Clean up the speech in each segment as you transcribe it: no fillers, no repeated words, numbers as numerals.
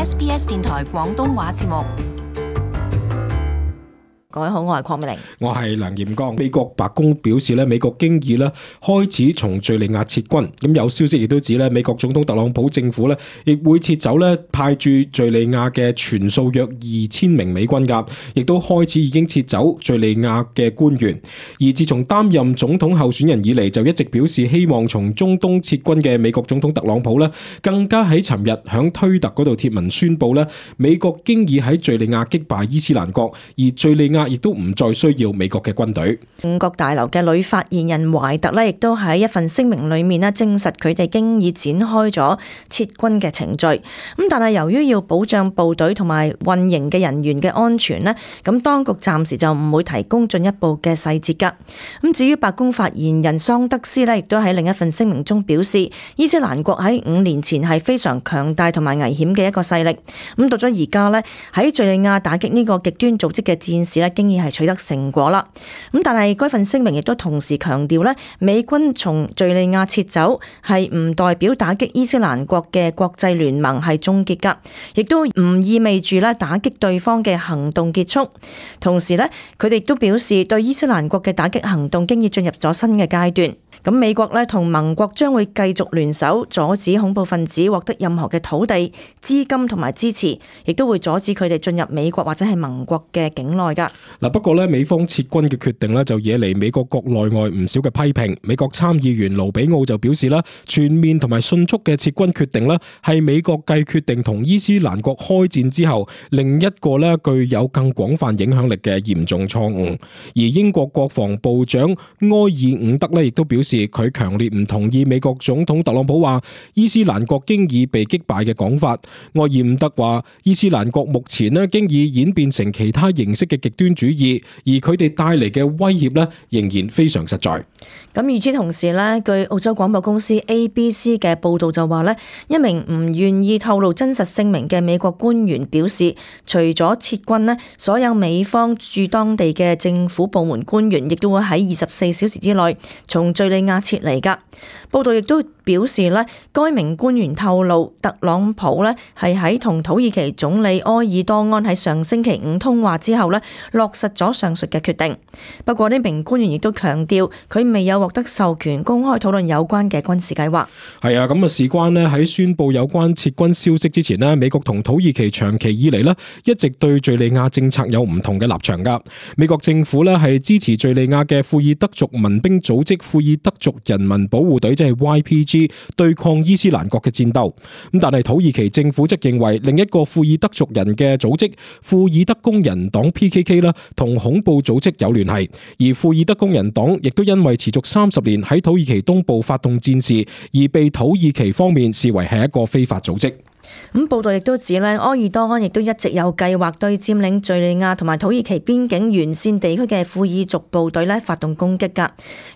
SBS 電台廣東話節目。各位好，我係鄺美玲，我係梁彥剛。美國白宮表示咧，美國經已咧開始從敘利亞撤軍。咁有消息亦都指咧，美國總統特朗普政府咧亦會撤走咧派駐敘利亞嘅全數約2000名美軍㗎，亦都開始已經撤走敘利亞嘅官員。而自從擔任總統候選人以嚟，就一直表示希望從中東撤軍嘅美國總統特朗普咧，更加喺尋日響推特嗰度貼文宣布咧，美國經已喺敘利亞擊敗伊斯蘭國，而敘利亞亦都唔再需要美國嘅軍隊。五角大樓嘅女發言人懷特呢，亦都喺一份聲明裏面呢證實佢哋經已展開咗撤軍嘅程序。咁但係由於要保障部隊同埋運營嘅人員嘅安全呢，咁當局暫時就唔會提供進一步嘅細節㗎。咁至於白宮發言人桑德斯呢，亦都喺另一份聲明中表示，伊斯蘭國喺5年前係非常強大同埋危險嘅一個勢力。咁到咗而家呢，喺敘利亞打擊呢個極端組織嘅戰士呢，經已係取得成果啦。咁但係該份聲明亦都同時強調咧，美軍從敘利亞撤走係唔代表打擊伊斯蘭國嘅國際聯盟係終結噶，亦都唔意味住咧打擊對方嘅行動結束。同時咧，佢哋都表示對伊斯蘭國嘅打擊行動經已進入咗新嘅階段。咁美國咧同盟國將會繼續聯手阻止恐怖分子獲得任何嘅土地、資金同埋支持，亦都會阻止佢哋進入美國或者係盟國嘅境內噶。嗱，不過咧，美方撤軍嘅決定咧就惹嚟美國國內外唔少嘅批評。美國參議員盧比奧就表示啦，全面同埋迅速嘅撤軍決定咧係美國繼決定同伊斯蘭國開戰之後另一個咧具有更廣泛影響力嘅嚴重錯誤。而英國國防部長埃爾伍德咧亦都表示，佢強烈唔同意美國總統特朗普話伊斯蘭國經已被擊敗嘅講法。埃爾伍德話，伊斯蘭國目前咧經已演變成其他形式嘅極端主義，而佢哋帶嚟嘅威脅咧仍然非常實在。咁與此同時咧，據澳洲廣播公司 ABC 嘅報道就話咧，一名唔願意透露真實姓名嘅美國官員表示，除咗撤軍咧，所有美方駐當地嘅政府部門官員亦都會喺24小時之內從敘利亞撤離噶。報道亦都表示咧，該名官員透露，特朗普咧係喺同土耳其總理埃爾多安喺上星期5通話之後咧，落實咗上述嘅決定。不過呢名官員亦都強調，佢未有獲得授權公開討論有關嘅軍事計劃。係啊，咁啊事關咧喺宣布有關撤軍消息之前咧，美國同土耳其長期以嚟咧一直對敘利亞政策有唔同嘅立場噶。美國政府咧係支持敘利亞嘅庫爾德族民兵組織庫爾德族人民保護隊，即係 YPG 對抗伊斯蘭國嘅戰鬥。咁但係土耳其政府則認為另一個庫爾德族人嘅組織庫爾德工人黨 PKK 啦，同恐怖組織有聯繫。而庫爾德工人黨亦都因為持續30年喺土耳其東部發動戰事，而被土耳其方面視為係一個非法組織。咁報道亦都指咧，埃爾多安亦都一直有計劃對佔領敘利亞同埋土耳其邊境沿線地區嘅庫爾族部隊咧發動攻擊㗎。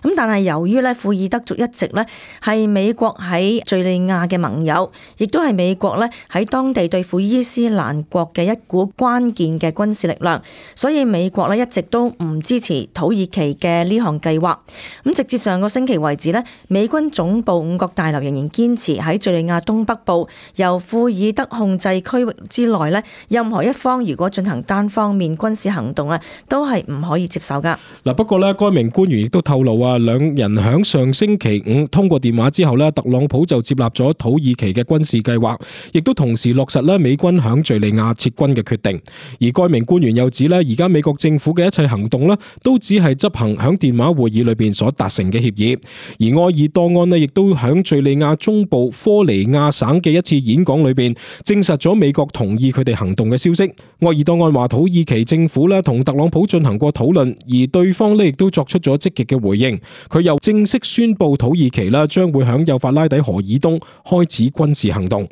咁但係由於咧庫爾德族一直咧係美國喺敘利亞嘅盟友，亦都係美國咧喺當地對付伊斯蘭國嘅一股關鍵嘅軍事力量，所以美國咧一直都唔支持土耳其嘅呢項計劃。咁直至上個星期為止咧，美軍總部五角大樓仍然堅持喺敘利亞東北部由庫爾德控制區域之內咧，任何一方如果進行單方面軍事行動啊，都係唔可以接受噶。嗱，不過咧，該名官員亦都透露啊，兩人響上星期5通過電話之後咧，特朗普就接納咗土耳其嘅軍事計劃，亦都同時落實咧美軍響敘利亞撤軍嘅決定。而該名官員又指咧，而家美國政府嘅一切行動咧，都只係執行響電話會議裏邊所達成嘅協議。而埃爾多安咧，亦都響敘利亞中部科尼亞省嘅一次演講裏邊證實咗美國同意佢哋行動嘅消息。埃爾多安話土耳其政府咧同特朗普進行過討論，而對方咧亦都作出咗積極嘅回應。佢又正式宣布土耳其啦將會響幼發拉底河以東開始軍事行動。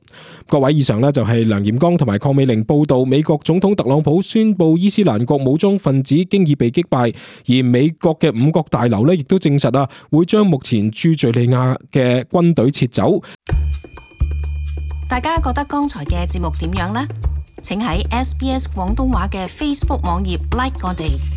各位，以上咧就係梁彥剛同埋鄺美玲報道美國總統特朗普宣布伊斯蘭國武裝分子經已被擊敗，而美國嘅五角大樓咧亦都證實啊會將目前駐敘利亞嘅軍隊撤走。大家覺得剛才嘅節目點樣呢？請喺SBS 廣東話嘅 Facebook 網頁 like 我哋。